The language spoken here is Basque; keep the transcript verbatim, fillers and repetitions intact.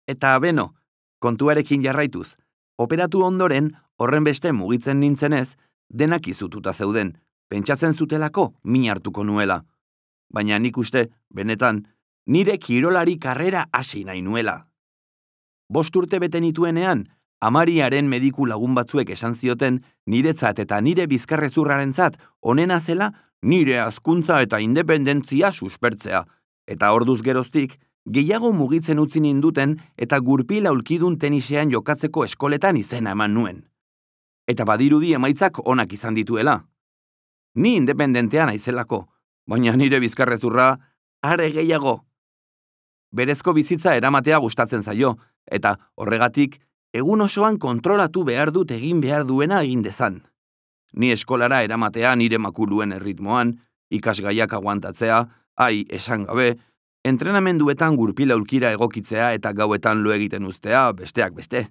Eta beno, kontuarekin jarraituz, operatu ondoren horren beste mugitzen nintzenez, denak izututa zeuden, pentsatzen zutelako min hartuko nuela. Baina nik uste, benetan, nire kirolari karrera hasi nahi nuela. Bost urte bete nituenean, amariaren mediku lagun batzuek esan zioten niretzat eta nire bizkarrezurrarentzat onena zela nire hazkuntza eta independentzia suspertzea. Eta orduz geroztik, gehiago mugitzen utzi ninduten eta gurpil aulkidun tenisean jokatzeko eskoletan izena eman nuen. Eta badirudi emaitzak onak izan dituela. Ni independentea naizelako, baina nire bizkarrezurra are gehiago. Berezko bizitza eramatea gustatzen zaio, eta horregatik egun osoan kontrolatu behar dut egin behar duena egin dezan. Ni eskolara eramatea nire makuluen erritmoan, ikasgaiak aguantatzea, ai esan gabe, entrenamenduetan gurpil aulkira egokitzea eta gauetan lo egiten uztea besteak beste.